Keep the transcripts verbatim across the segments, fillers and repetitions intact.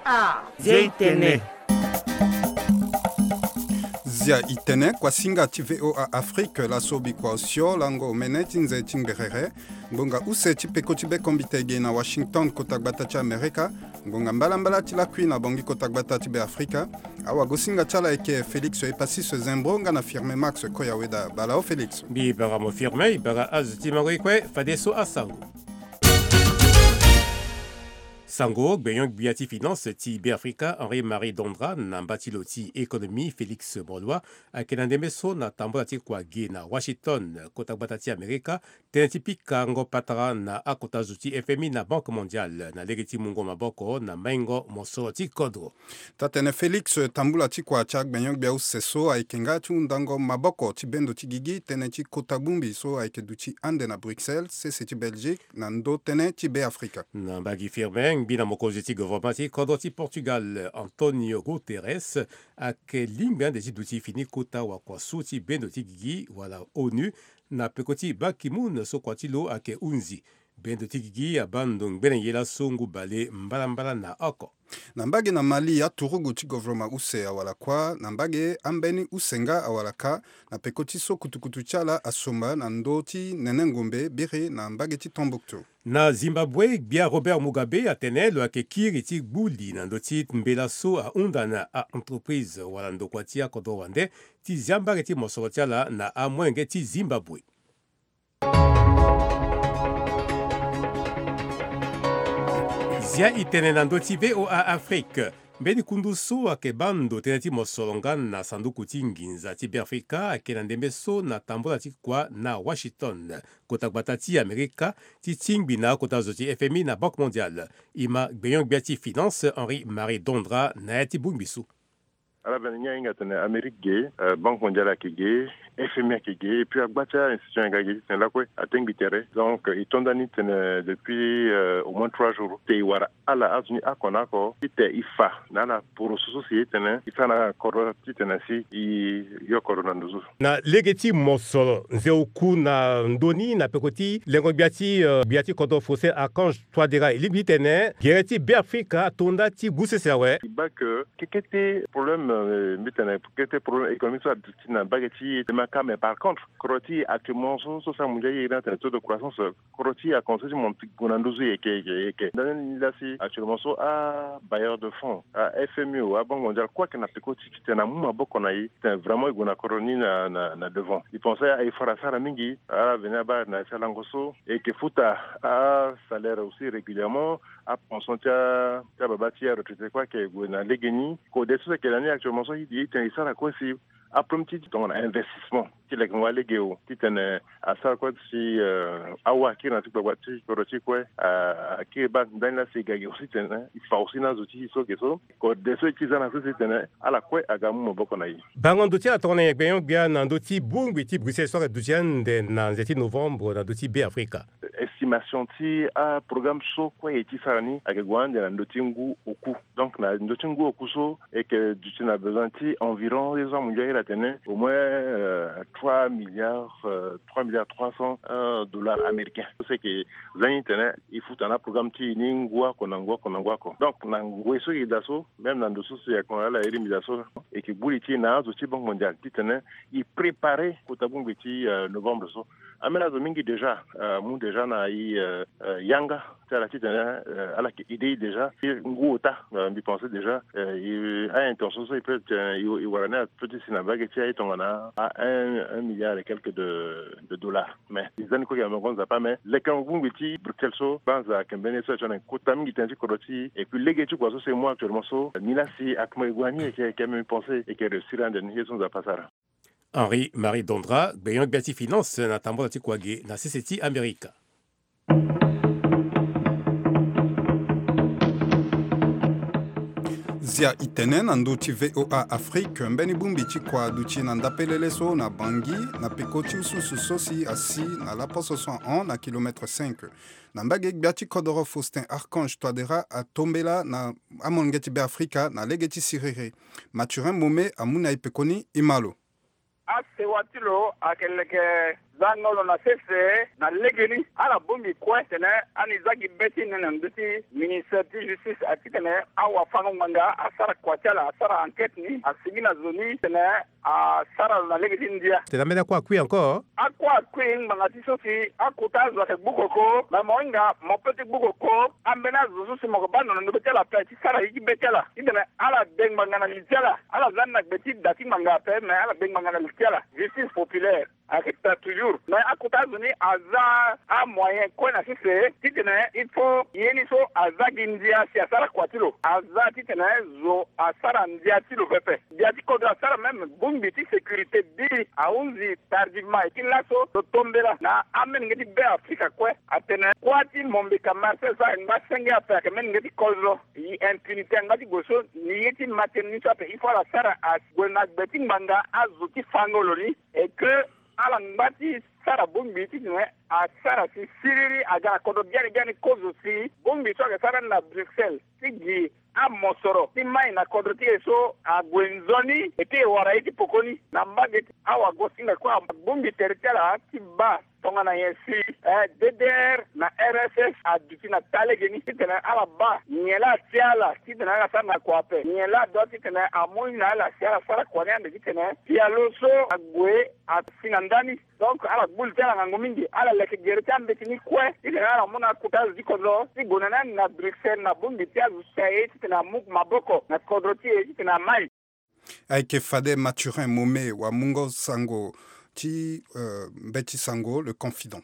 Ah, Zia Itene. Zia Itene, kuasinga ti V O A Afrique, laso bikua osio lango omene ti nze ti ngberere. Ngbonga use ti peko ti be kombite ge na Washington, kota gbata ti Amerika. Ngbonga mbalambala ti lakui na Bangui, kota gbata ti Be Afrika. Awagosinga ti ala ayeke Félix Epasis Zembro nga na Firmin Max Koyaweda. Bala o Félix. Mbi bara mo Firmin, i bara azo ti mango i kue, fadeso asango. Sango, gbenyo-gbia ti finance ti Be Afrika, Henri Marie Dondra, na mba ti lo ti économie, Félix Moloua, ayeke na ndembe so na tambula ti kua ge na Washington, kota gbata ti Amerika, tënë ti pikango patara na akota zo ti F M I na Banque Mondiale na lege ti mungo maboko na maingo mosoro ti kodro. Taa-tënë Félix, tambula ti kua ti agbenyo-gbia use so ayeke nga ti hundango maboko ti bendo ti gigi tënë ti kota bongbi so ayeke duti ande na Bruxelles, sese ti Belgique, na ndö tënë ti Be Afrika. Na mbage Firmin, ngbi na mokonzi ti gouvernement ti kodro ti Portugal, Antonio Guterres, ayeke lingbi ande ti duti fini kota wakua so ti bendo ti gigi wala ONU, na peko ti Ban Ki-moon so kua ti lo ayeke hunzi. Bendo ti gigi abaa ndo ngbene ye laso ngu bale mbalambala na oko. Na mbage na Mali, aturugu ti gouvernement use awara kua. Na mbage ambeni use nga awara ka, na peko ti so kutukutu ti ala asomba na ndö ti nene ngombe biri na mbage ti Tombouctou. Na Zimbabwe, gbia Robert Mugabe atene lo yeke kiri ti gbu li na ndö ti mbela so ahunda na a-entreprise wala ndokua ti akodro wande ti zia mbage ti mosoro ti ala na amolenge ti Zimbabwe. Zia itene na ndö ti V O A Afrique. Mbeni kundu so ayeke baa ndo tënë ti mosoro nga na sanduku ti nginza ti Be Afrika ayeke na ndembe so na tambula ti kua na Washington, kota gbata ti Amerika, ti tingbi na akota zo ti F M I na Banque Mondiale. E ma gbenyo-gbia ti finance Henri Marie Dondra na ya ti bongbi so. Ala bene ni ahinga tene Amérique ge, euh, Banque Mondiale ayeke ge, F M I ayeke ge, et puis agba ti a-institution yanga ge ti tene lakue atengbi tere. Donc, euh, e to ndani tene depuis, euh, au moins trois jours te e wara ala azo ni oko na oko ti te e fa na ala poroso so si e tene e sara na kodro ti tene si e yo kodro na ndo so. Na lege ti mosoro, nze oku na ndö ni na peko ti lengo-gbia ti, euh, gbia ti kodro Faustin Archange Touadéra, e lingbi ti tene gere ti Be Afrika ato nda ti gu sese awe. E baa ke kekete problème, euh, mbi tene kekete problème économique so aduti na mbage ti e te ma ka, mais par contre kodro ti e actuellement so, so si amu ndia ye iri ni atene taux de croissance, euh, kodro ti e akomense ti monte gue na nduzu, e yeke, e yeke, e yeke. Ndani ni laa si actuellement so abailleur de fonds, a-F M I o, a-Banque Mondiale kue ayeke na peko ti titene amu maboko na e titene vraiment e gue na kodro ni na, na, na devant. E pense aeffort asara mingi, ala veni abaa na ya ti alango so e yeke futa asalaire aussi régulièrement, apension ti a, ti ababa ti aretraité kue ayeke gue na legeni. Kode so si ayeke na ni actuellement so e, e tene e sara kue si aproblème ti tongana investissement ti lekengo alege o, titene asara kue si, euh, awa akiri na ti gbagba ti kodro ti e kue, a, akiri baa ndani laa si e ga gi aussi titene e fa aussi na azo ti e so ayeke so. Kode so e ti za na so si titene ala kue aga amu maboko na e. Bango ndo ti ala tongana nyen gbenyo-gbia na ndö ti bongbi ti Bruxelles so ayeke duti ande na nze ti novembre na ndö ti Be Afrika? Estimation ti aprogramme so kue e ti sara ni ayeke gue ande na ndö ti ngu oku. Donc na ndö ti ngu oku so e yeke duti na besoin ti environ, ye so amu ndia iri atene au moins, euh, trois milliards, euh, trois milliards trois cents, euh, dollars américains. So si e yeke za ni tene e futa na aprogramme ti e ni ngu oko na ngu oko na ngu oko. Donc na ngoi so e yeke daa so, même na ndo so si e yeke ala iri mbi daa so, e yeke gbu li ti e na azo ti Banque Mondiale titene e préparer kota bongbi ti, euh, novembre so. Ambeni azo mingi déjà, euh, amu déjà na e, euh, euh, yanga ti ala titene, euh, ala yeke aider e déjà. Ngu ota, euh, mbi pense déjà, euh, e, a-intention so e peut, euh, e, e wara ni apeut ti si na mbage ti aye tongana a un, un milliard et quelques de, de dollars. Mais e za ni kue ayeke na ngonza Nzapa, mais lekengo bongbi ti Bruxelles so, banza ayeke mbeni ye so ayeke tongana kota mingi tënë ti kodro ti e. Et puis lege ti kua so si e mu actuellement so, ni laa si akoma e gue na ni, e yeke, e yeke même pense e yeke réussir ande ni, ye so Nzapa asara. Henri Marie Dondra, gbenyo-gbia ti finance na tambula ti kua ge na sese ti Amerika. Zia itene na ndö ti V O A Afrique, mbeni bongbi ti kua aduti na ndapelele so na Bangui, na peko ti ususu so si asi na laposo so ahon na kilomètre cinq. Na mbage gbia ti kodoro Faustin Archange Touadéra atombela na amolenge ti Be Afrika na lege ti siriri. Mathurin Mome amu na e pekoni, e ma lo. asewa ti lo ayeke leke zangolo na sese na legeni. Ala bongbi kue titene ani za gi be ti e na ndö ti ministère ti justice, a titene awafango ngbanga asara kua ti ala, asara enquête ni, asigi na zo ni titene asara lo na lege ti ndia. Tena mbeni akua akui encore. Akua akui ngbanga ti so si akota azo ayeke gbu koko, me mo hinga mo pe ti gbu koko ambeni azo so si mo yeke baa ndo na ndö be ti ala ape ti sara ye ti be ti ala. Titene ala de ngbanga na li ti ala. Ala za ni na gbe ti da ti ngbanga ape, me ala de ngbanga na li ti ala. Justice populaire ayeke ta toujours. Me akota azo ni aza amoyen kue na sese titene il faut ye ni so aza gi ndia si asara kua ti lo. Aza titene zo asara ndia ti lo pepe. Ndia ti kodro asara même bongbi ti sécurité bi ahunzi tardivement. E ti laso lo tombela na amolenge ti Be Afrika kue atene kuâ ti Mombe Kamarse so ayeke ngba senge ape ayeke molenge ti kodro. Impunité angba ti gue so ni ye ti maternité so ape il faut ala sara ague na gbe ti ngbanga azo ti fa ngolo ni. Et que ala ngba ti sara bongbi titene asara si siriri aga na kodro biani biani kozo si bongbi so ayeke sara ni na Bruxelles ti gi amosoro ti mai na kodro ti e so ague nzoni. E ti e wara ye ti poko ni na mbage ti awagosinga kue abongbi tere ti ala ti baa tongana nyen si eh, D D R na R S S aduti na taa legeni titene ala baa nyen laa atia ala titene ala sara na kua ape, nyen laa adua titene amu ni na ala si ala sara kua ni ande titene pialo so ague asi na ndani. Donc ala gbu li ti ala ngangu mingi, ala leke gere ti ambeti ni kue titene ala mu na akota azo ti kodro ti gue na ni ande na Bruxelles na bongbi ti azo so si aye titene amu maboko na kodro ti e titene amai. Ayeke fade Mathurin Momé wamungo sango ti, euh, mbeti sango Le Confident.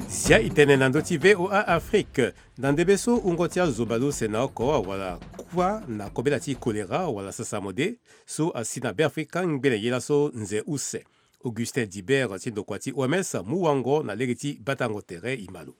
Zia e tene na ndö ti V O A Afrique. Na ndembe so wungo ti azo bale use na oko wala kuâ na kobela ti choléra wala sasamode so asi na Beafrika ngbene ye laso nze use. Augustin Dibert ti ndokua ti O M S amu wango na lege ti batango tere e ma lo.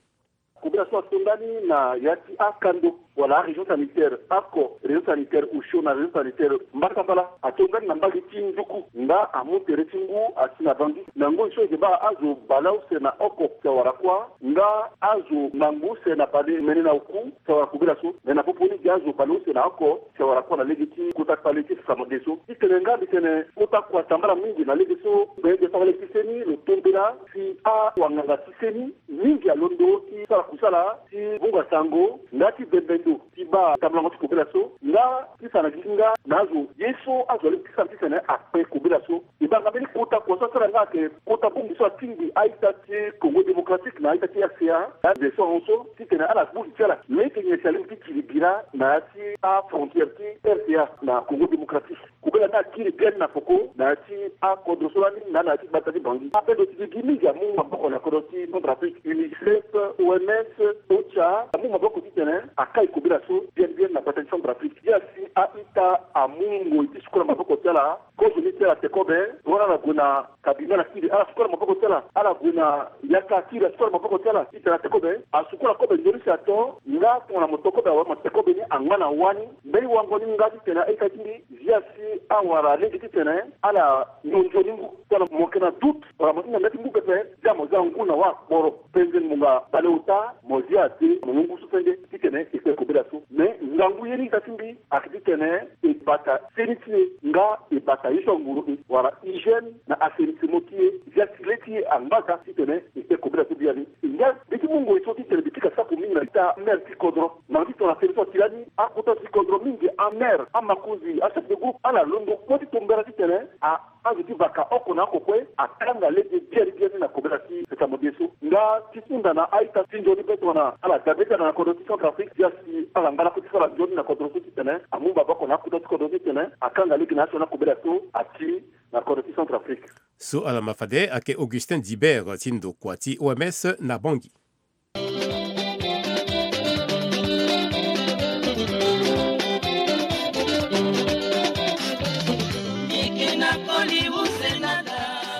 Kobela so ato ndani na ya ti akando wala arégion sanitaire oko, région sanitaire osio na région sanitaire mbasambala, ato ndani na mbage ti nduku nga amu tere ti ngu asi na Bangui. Na ngoi so e yeke baa azo baleuse na oko si awara kuâ nga azo ngangu use na baleumene na oku si awara kobela so. Me na popo ni gi azo baleuse na oko si awara kuâ na lege ti kota kpale ti sasamode so. Titene nga mbi tene kota kua tambala mingi na lege so, bende sara lege ti seni lo tombela si awanganga ti seni mingi alondo ti sara kusala ti vunga sango nga ti bembe ndo ti baa tambulango ti kobela so nga ti fa na gi ti nga na azo ye so azo alingbi ti sara titene akpe kobela so. E baa nga mbeni kota kua so asara nga ayeke kota bongbi so atingbi a-ita ti Congo Démocratique na a-ita ti R C A na nze so ahon so titene ala gbu li ti ala. Me e yeke nyen si alingbi ti gi li bira na ya ti afrontière ti R C A na Congo Démocratique. Kobela ni akiri biani na peko na ya ti akodro so lani na na ya ti gbata ti Bangui. Ape ndo ti gigi mingi amu maboko na kodro ti Centrafrique, UNICEF, O M S, OCHA amu maboko titene akai kobela so biani biani na gbata ti Centrafrique. Ti asi a-ita amu ngoi ti sukola maboko ti ala, kozo ni ti ala te kobe, tongana ala gue na kabine ala kiri, ala sukola maboko ti ala, ala gue na yaka akiri, asukola maboko ti ala titene ate kobe, asukola kobe nzoni si ato, nga tongana mo to kobe awe mo te kobe ni angba na wâ ni. Mbeni wango ni nga titene a-ita ti mbi, zia si awara lege titene ala nzoni ngu. Tongana mo yeke na doute wala mo hinga nda ti ngu pepe, zia mo za ngu na wâ akporo. Penze ngbonga baleota mo zia ade mo mu ngu so senge titene e kpe kobela so. Me ngangu ye ni ita ti mbi ayeke titene e bata seni ti e nga e bata ye so anguru e wala hygiène na assainissement ti e, zia si le ti e angba ka titene e kpe kobela so biani. Nga mbi ti mu ngoi so titene mbi pika sako mingi na ita maire ti kodro. Na mbi ti tongana seni so ati lani akota ti kodro mingi, amaire, amakonzi, achef de groupe, ala londo kue ti tombela titene a azo ti vaka oko na oko kue akanga lege biani biani na kobela ti sasamode so. Nga ti hunda na a-ita ti nzoni pe tongana ala dabe ti ala na kodro ti Centrafrique, zia si ala ngba lakue ti sara nzoni na kodro so titene amu maboko na akota ti kodro so titene akanga lege na ya so na kobela so ati na kodro ti Centrafrique. So ala ma fade ayeke Augustin Dibert ti ndokua ti O M S na Bangui.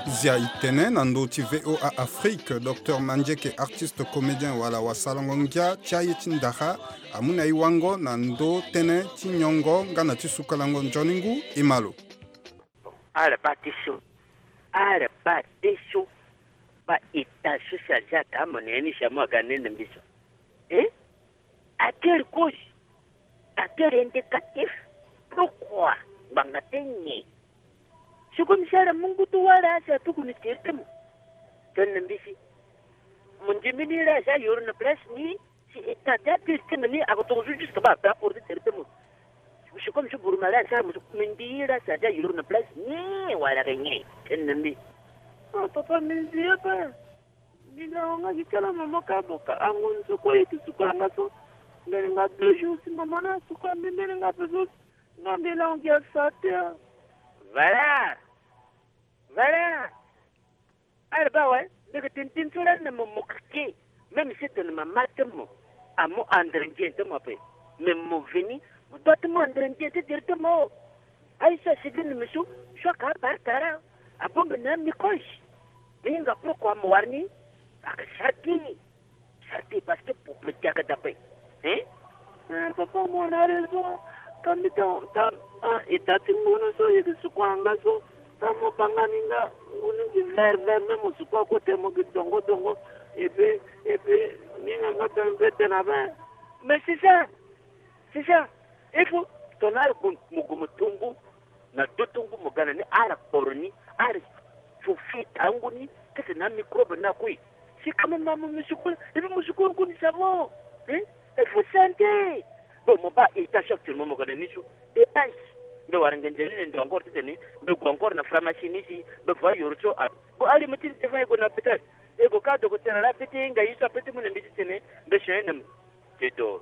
Zia e tene na ndö ti V O A Afrique, docteur Mandieke, artiste comédien wala wasalango ngia ti aye ti ndara, amu na e wango na ndö tënë ti nyongo nga na ti sukalango nzoni ngu. E ma lo. Ala baa ti so. Ala baa ti so. Baa ita so si azia daa mo na ya ni si amu aga nene mbi so. Eh? Akiri kozi. À quel indicatif? Pourquoi? Ngbanga ti nyen? Sikoyo mbi sara mungu ti wara si atuku ni tere ti mo. Tene na mbi si mo ndimi ni la si ayoro na place ni. Si e ta ti apiri ti mo ni ako toko so juste ba ape aporo ti tere ti mo. Sikoyo mbi so buru ma la si asara mo so mbi ndi la si aza yoro na place ni wala ke nyen? Tene na mbi. Ah, papa, mbi ndi ape. Mbi na wanga gi kala mama ka boka ango ni so kue ye ti suka nga so. Mbi linga deux jours si mama na suka mbi mbi linga pe so. Nga mbi lango gi asa te. Valeur. Valeur. Ala ba awe, mbi yeke tene tënë so lani na mo mo keke. Même si tene mama ti mo amu andre ndien ti mo ape. Mais mo veni, mo doit ti mu andre ndien ti tere ti mo. Aye so asigi na mbi so, so aka abara tara. Abongbi na microche. Mbi hinga pourquoi mo wara ni? Aka sara ti. Sara ti parce que pour me diaga dape. Hein? Eh, papa, mo na raison. Ka mbi ta, ta, ah, e ta ti ngunu so, e yeke suku anga so. Ta mo banga ni nga, ngunu gi vert, vert, même mo suku akote mo gi dongo, dongo. Et puis, et puis, ni nga nga ta mbe tena ben. Mais c'est ça. C'est ça. Il faut, ton arbre, mo gu mo tumbu. Na do ti ngu mo ga na ni ala kporo ni, ala fo fita ngu ni, kete na microbe na kue. Si quand même mo musukulu, et puis musukulu ngu ni savon. Hein? Il faut santé. Bon, mo ba étage actuellement mo ga na ni so. Étage. Mbe wara ngenze ni ndo encore ti tene. Mbe gu encore na pharmacie ni si. Mbe va yoro so a. Bon, ali mo ti ni te va e gue na hôpital. E gue ka docteur la pete nga ye so apete mo na mbi ti tene. Mbe changé na mo. Te do.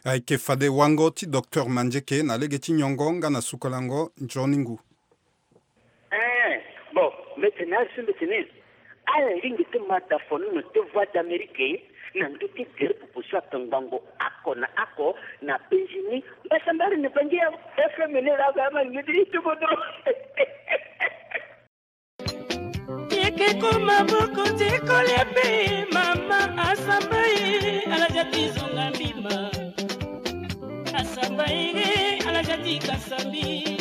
Ayeke fade wango ti docteur Mandieke na lege ti nyongo nga na sukolango nzoni ngu. Eh, bon, mbi tene azo so mbi tene ala lingbi ti ma dafonono ti Voix d'Amérique na ndö ti gere popo so atongbango oko na oko na Benjini mbasambala na Bangi ya F M ni la ga ma ni ti tubo dro. Yeke koma moko ti kolia mpe mama asamba ye, ala ja ti zonga mbima. Asamba ye, ala ja ti kasa mbi.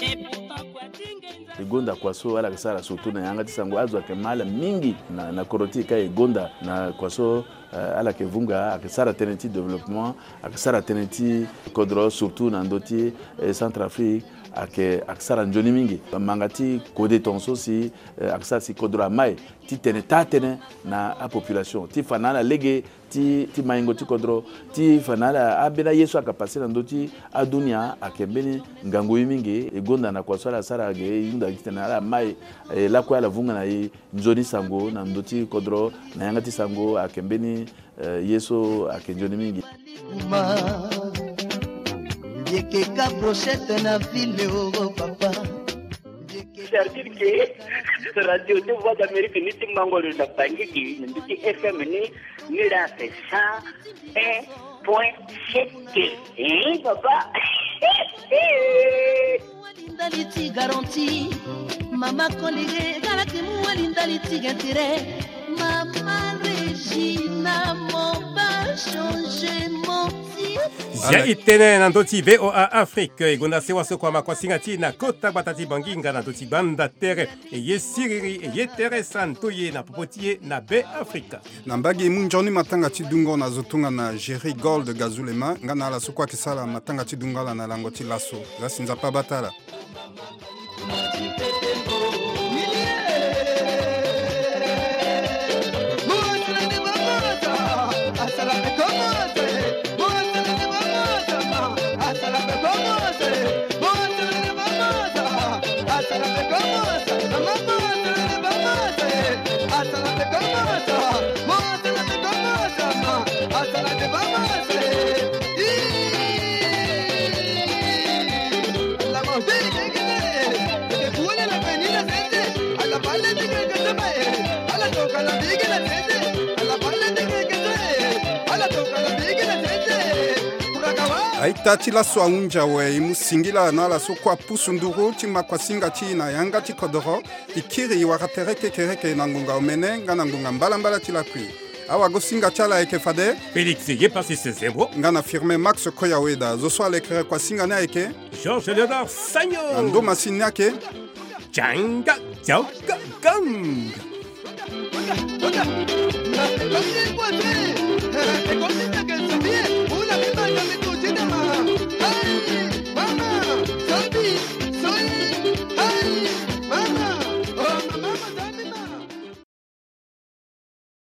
Et pourtant, kua ti ngenza. E gonda kua so ala yeke sara surtout na yanga ti sango, azo ayeke ma ala mingi na, na kodro ti e ka e gonda na kua so. Eh, ala yeke vunga, ayeke sara tënë ti développement, ayeke sara tënë ti kodro, surtout na ndö ti, eh, Centrafrique, ayeke, ayeke sara nzoni mingi. Manga ti kode tongaso si, eh, ayeke sara si kodro amai ti tene taa-tënë na apopulation, ti fa na ala lege ti, ti maingo ti kodro, ti fa na ala ambeni aye so ayeke passe na ndö ti adunia, ayeke mbeni ngangu ye mingi. E gonda na kua so ala sara ge, e hunda gi titene ala mai, eh, lakue ala vunga na e. Nzoni sango na ndö ti kodro na yanga ti sango ayeke mbeni, eh, ye so ayeke nzoni mingi. Yeke ka brochette na ville o papa. C'est-à-dire que radio ti Voix d'Amérique ni ti mango lo na Bangui ni ti F M ni, ni la c'est cent un point sept. Hein, papa? Ndali ti garantie, mama Kolege, galaki muwali ndali ti intérêt, mama Regina, mon ba changement. Zia e tene na ndö ti V O A Afrique, e gonda sewa so kua ma kuasinga ti e na kota gbata ti Bangui nga na ndö ti gbanda tere. E ye siriri, e ye tere santo ye na popo ti e na Be Afrika. Na mbage e mu nzoni matanga ti dungo na zo tongana Jerry Gold Gazulema nga na ala so kue ayeke sara matanga ti dungo ala na lango ti laso. Za si Nzapa abata ala. A-ita ti laso ahunzi awe, e mu singila na ala so kue apusu nduru ti ma kuasinga ti e na yanga ti kodoro. E kiri e wara tere kekereke na ngonga omene nga na ngonga mbalambala ti lapui. Awagosinga ti ala ayeke fade Félix Yepassis Zembo nga na Firmin Max Koyaweda. Zo so alekere kuasinga ni ayeke Georges Léonard Sagno. Na ndo masini ni ayeke Djanga Djaoga Gang.